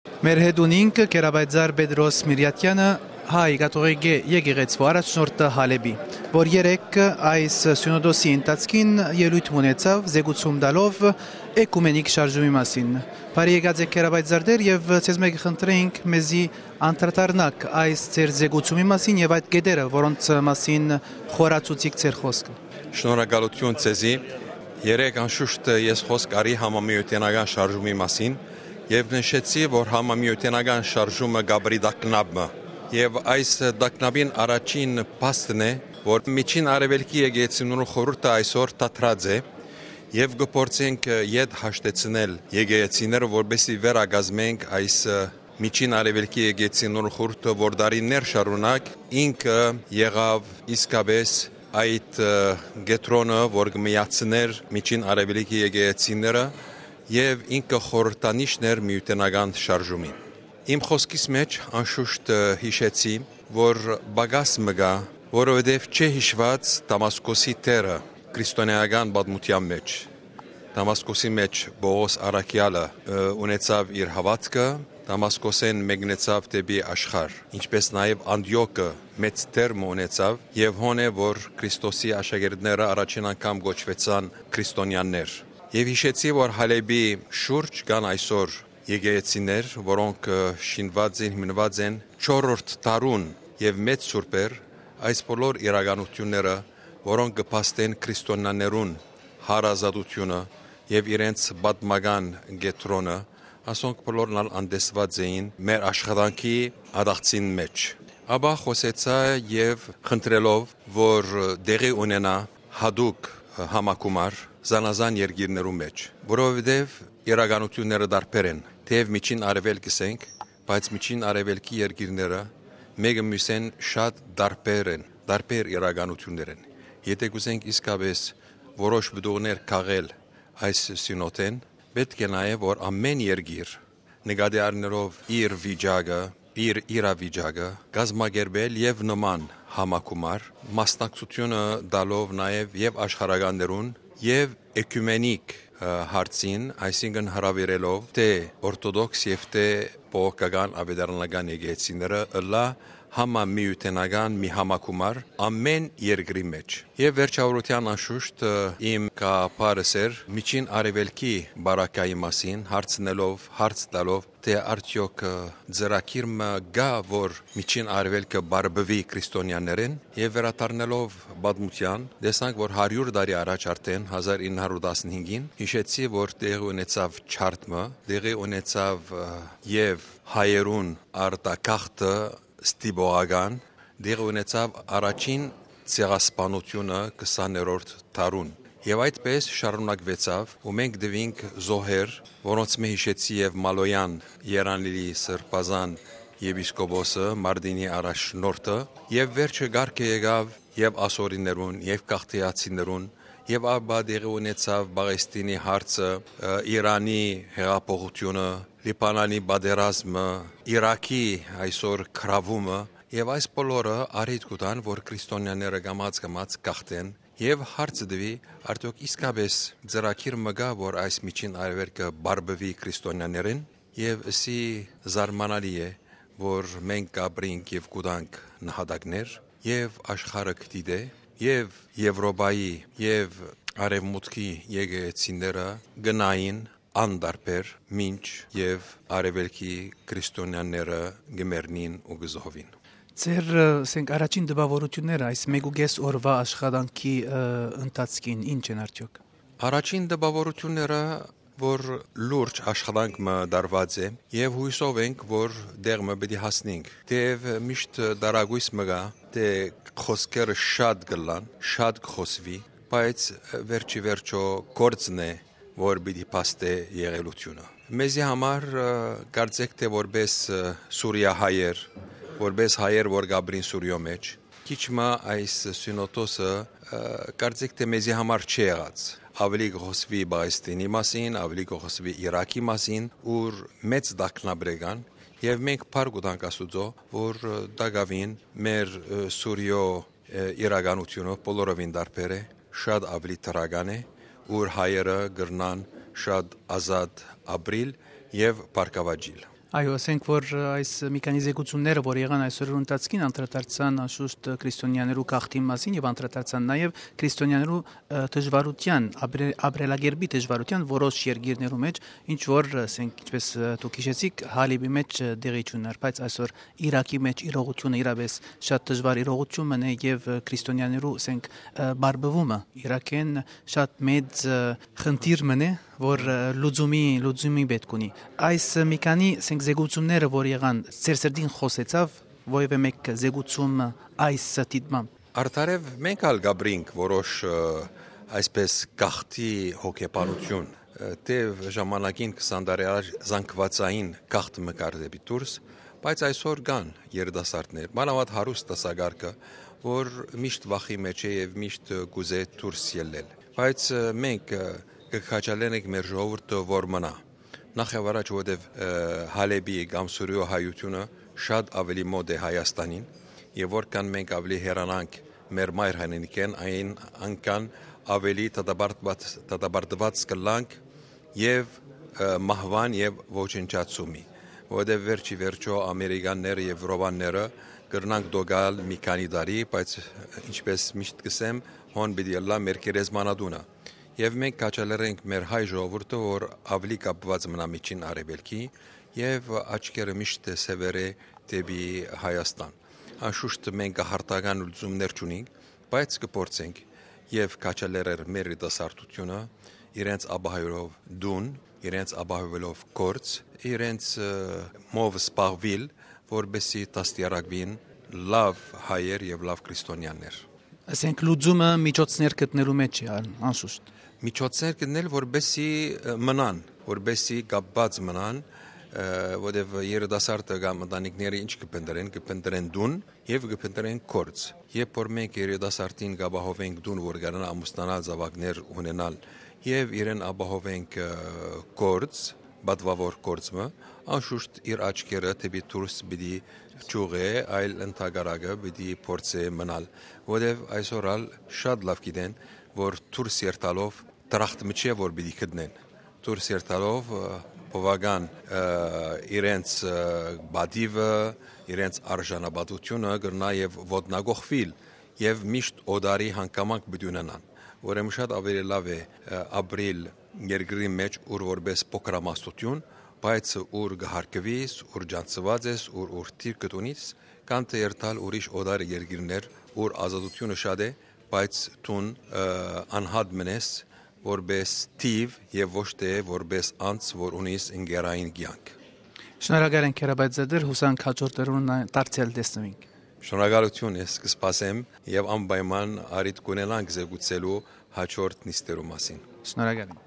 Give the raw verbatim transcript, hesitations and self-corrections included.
Մեր հետ ունինք Գերապայծառ Պետրոս Միրյատյանը, հայ կաթողիկէ եկեղեցու առաջնորդը Հալէպի, որ երեկ այս սիւնոդոսի ընթացքին ելոյթ մը ունեցաւ, զեկուցում տալով էկումենիկ շարժումի մասին։ Բարի եկած եք, Գերապայծառ Տէր, եւ ձեզ մէկ խնդրենք, մեզի անդրադառնաք այս ձեր զեկուցումի մասին եւ այդ կետերը, որոնց մասին խորացուցիք ձեր խոսքը։ Շնորհակալություն ձեզի։ Երեկ անշուշտ ես խոսք արի համամիութենական շարժումի մասին եւ նշեցի, որ համամիութենական շարժումը կապրի տագնապ մը։ Եւ այս տագնապին առաջին փաստն է, որ Միջին Արեւելքի եկեղեցիներու խորհուրդը այսօր դադրած է եւ կը փորձենք ետ հաշտեցնել եկեղեցիները, որպեսզի վերակազմենք այս Միջին Արեւելքի եկեղեցիներու խորհուրդը, որ դարիներ շարունակ ինքը եղաւ իսկապես այդ, ը, կեդրոնը, որ կը միացնէր Միջին Արեւելքի եկեղեցիները եւ ինքը խորհրդանիշն էր միութենական շարժումին։ Իմ խոսքիս մէջ անշուշտ, ը, յիշեցի, որ պակաս մը կայ, որովհետեւ չէ յիշուած Դամասկոսի դերը քրիստոնէական պատմութեան մէջ։ Դամասկոսի մէջ Պողոս առաքեալը, ը, ունեցաւ իր հաւատքը, Դամասկոսէն մեկնեցաւ դէպի աշխարհ, ինչպէս նաեւ Անտիոքը մեծ դեր մը ունեցաւ եւ հոն է, որ Քրիստոսի աշակերտները առաջին անգամ կոչուեցան քրիստոնեաններ։ Եւ յիշեցի, որ Հալէպի շուրջ կան այսօր եկեղեցիներ, որոնք, ը, շինուած են, հիմնուած են չորրորդ դարուն եւ մեծ սուրբեր, այս բոլոր իրականութիւնները, որոնք կը փաստեն քրիստոնեաներուն հարազատութիւնը եւ իրենց պատմական կեդրոնը, ասոնք բոլորն ալ անտեսուած էին մեր աշխատանքի ադաղցին մէջ։ Ապա խօսեցայ եւ խնդրելով, որ տեղի ունենայ յատուկ համագումար զանազան երկիրներու մէջ, որովհետեւ իրականութիւնները տարբեր են, թէեւ Միջին Արեւելք կ'ըսենք, բայց Միջին Արեւելքի երկիրները մէկը միւսէն շատ տարբեր են, տարբեր իրականութիւններ են։ Եթէ կ'ուզենք իսկապես որոշ պտուղներ քաղել այս սիւնոդէն, պէտք է նաեւ, որ ամէն երկիր, նկատի առնելով իր վիճակը, իր իրավիճակը, կազմակերպել եւ նման համագումար, մասնակցութիւնը տալով նաեւ եւ աշխարհականներուն եւ էկումենիկ, ը, հարցին, այսինքն՝ հրաւիրելով թէ օրթոդոքս եւ թէ բողոքական աւետարանական եկեղեցիները, ըլլայ համամիութենական մի համագումար ամէն երկրի մէջ։ Եւ վերջավորութեան անշուշտ, ը, իմ գաղափարս էր Միջին Արեւելքի բարակայի մասին, հարցնելով, հարց տալով, թէ արդեօք, ը, ծրագիր մը կայ, որ Միջին Արեւելքը պարպուի քրիստոնեաներէն, եւ վերադառնալով պատմութեան, տեսանք, որ հարիւր տարի առաջ արդէն, հազար ինը հարիւր տասնհինգին, յիշեցի, որ տեղի ունեցաւ չարդ մը, տեղի ունեցաւ, ը, եւ հայերուն արտագաղթը ստիպողական, տեղի ունեցաւ առաջին ցեղասպանութիւնը քսաներորդ դարուն։ Եւ այդպես շարունակուեցաւ ու մենք տուինք զոհեր, որոնցմէ յիշեցի եւ Մալոյեան, Երանլիլի սրբազան եպիսկոպոսը, Մարտինի առաջնորդը, եւ վերջը կարգը եկաւ եւ ասորիներուն, եւ գաղթիացիներուն, եւ ապա տեղի ունեցաւ Պաղեստինի հարցը, ը, Իրանի հեղափոխութիւնը, Լիբանանի պատերազմը, Իրաքի այսօր գրաւումը, եւ այս բոլորը առիթ կու տան, որ քրիստոնեաները կամաց-կամաց գաղթեն, եւ հարցը տուի, արդեօք իսկապես ծրագիր մը կայ, որ այս Միջին Արեւելքը պարպուի քրիստոնեաներէն, եւ ըսի զարմանալի է, որ մենք կ'ապրենք եւ կու տանք նահատակներ, եւ աշխարհը կը դիտէ, եւ Եւրոպայի, եւ Արեւմուտքի եկեղեցիները կը նային անտարբեր, մինչ եւ Արեւելքի քրիստոնեաները կը մեռնին ու կը զոհուին։ Ձեր, ը, ասենք, առաջին տպաւորութիւնները այս մէկ ու կէս օրուայ աշխատանքի, ը, ընթացքին ի՞նչ են արդեօք։ Առաջին տպաւորութիւնները, որ լուրջ աշխատանք մը տարուած է, եւ յուսով ենք, որ տեղ մը պիտի հասնենք։ Թէեւ միշտ տարակոյս մը կայ, թէ խօսքերը շատ կ'ըլլան, շատ կը խօսուի, բայց վերջի վերջո գործն է, որ պիտի փաստէ եղելութիւնը։ Մեզի համար, ը, կարծեք թէ որպես, ը, սուրիահայեր, որպես հայեր, որ կ'ապրին Սուրիոյ մէջ, քիչ մը այս սիւնոդոսը, ը, կարծեք թէ մեզի համար չի եղած։ Աւելի կը խօսուի Պաղեստինի մասին, աւելի կը խօսուի Իրաքի մասին, ուր մեծ տագնապներ կան, եւ մենք փառք կու տանք Աստուծոյ, որ, ը, տակաւին մեր, ը, Սուրիոյ, ը, իրականութիւնը բոլորովին տարբեր է, շատ աւելի դրական է, ուր հայերը կրնան շատ ազատ ապրիլ եւ բարգաւաճիլ։ Այո, ասենք որ, ը, այս մի քանի զեկուցումները, որ եղան այսօր ընթացքին, անդրադարձան անշուշտ քրիստոնյաներու գաղթին մասին եւ անդրադարձան նաեւ քրիստոնյաներու, ը, դժվարութեան, ապրե-, ապրելակերպի դժվարութեան որոշ երկիրներու մէջ, ինչ որ, ը, ասենք, ինչպես, ը, դուք հիշեցիք, Հալիբի մէջ, ը, տեղի չունենար, բայց այսօր Իրաքի մէջ իրողութիւնը իրապէս շատ դժվար իրողութիւն մըն է եւ, ը, քրիստոնյաներու, ասենք, ը, բարբուումը Իրաքէն շատ մեծ, ը, խնդիր մըն է, որ, ը, լուծումի, լուծումի պէտք ունի։ Այս, ը, մի քանի, ասենք, զեկուցումները, որ եղան, ձեր սրտին խօսեցաւ, որեւէ մէկ զեկուցում, ը, այս դիտմամբ։ Արդարեւ մենք ալ կապրինք որոշ, ը, այսպես գաղթի հոգեբանություն, ը, թէ ժամանակին քսան տարի առաջ զանգուածային գաղթ մը կար դէպի դուրս, բայց այսօր կան երիտասարդներ, մանաւանդ հարուստ դասակարգը, որ միշտ վախի մէջ է եւ միշտ կուզէ դուրս ելլել։ Բայց, ը, մենք, ը, կը քաջալերենք մեր ժողովուրդը որ մնայ։ Նախ եւ առաջ, որովհետեւ, ը, Հալեբի կամ Սուրիոյ հայութիւնը շատ աւելի մօտ է Հայաստանին, եւ որքան մենք աւելի հեռանանք մեր մայր հայրենիքէն, այն անկան աւելի դատապարտված, դատապարտված կ'ըլլանք եւ, ը, մահուան եւ ոչնչացումի, որովհետեւ վերջի վերջոյ ամերիկանները եւ եվրոպանները կրնանք դոգալ մի քանի տարի, բայց, ինչպես միշտ կ'ըսեմ, հոն պիտի ըլլայ մեր գերեզմանատունը։ Եւ մենք քաջալերենք մեր հայ ժողովուրդը, որ աւելի կապուած մնայ Միջին Արեւելքի եւ աչքերը միշտ սեւեռէ դէպի Հայաստան։ Անշուշտ մենք յարթական լուծումներ չունենք, բայց կը փորձենք եւ քաջալերել մեր երիտասարդութիւնը իրենց ապահովելով տուն, իրենց ապահովելով գործ, իրենց, ը, մով զբաղուիլ, որպեսզի դաստիարակուին լաւ հայեր եւ լաւ քրիստոնյաներ։ Ասենք, լուծումը միջոցներ գտնելու մէջ է, ան-, անշուշտ։ Միջոցներ գտնել, որպեսզի, ը, մնան, որպեսզի կապուած մնան, ը, որովհետեւ երիտասարդը կամ ընտանիքները ինչ կը փնտրեն, կը փնտրեն տուն եւ կը փնտրեն գործ։ Երբ որ մենք երիտասարդին կ'ապահովենք տուն, որ կարենայ ամուսնանալ, զաւակներ ունենալ եւ իրեն ապահովենք, ը, գործ, պատուաւոր գործ մը, անշուշտ իր աչքերը դէպի դուրս պիտի չուղղէ, այլ ընդհակառակը պիտի փորձէ մնալ, որովհետեւ այսօր ալ շատ լաւ գիտեն, որ դուրս երթալով դրախտ մը չէ, որ պիտի գտնեն։ Դուրս երթալով, ը, բովական, ը, իրենց, ը, պատիւը, իրենց արժանապատվութիւնը կրնայ եւ ոտնակոխուիլ եւ միշտ օտարի հանգամանք պիտի ունենան։ Ուրեմն շատ աւելի լաւ է, ը, ապրիլ երկրի մէջ, ուր որպէս փոքրամասնութիւն, բայց ուր կը հարգուիս, ուր ճանչցուած ես, ուր, ուր թիրքը ունիս, քան թէ երթալ ուրիշ օտար երկիրներ, ուր ազատութիւնը շատ է, բայց դուն, ը, անհատ մնես որպէս թիւ եւ ոչ թէ որպէս անձ, որ ունիս ընկերային կեանք։ Շնորհակալ ենք, Հերաբայ Ձեդեր, յուսանք հաջորդ օրերուն դարձեալ տեսնուինք։ Շնորհակալութիւն, ես կը սպասեմ եւ անպայման առիթ կունենանք զեկուցելու հաջորդ նիստերու մասին։ Շնորհակալ եմ։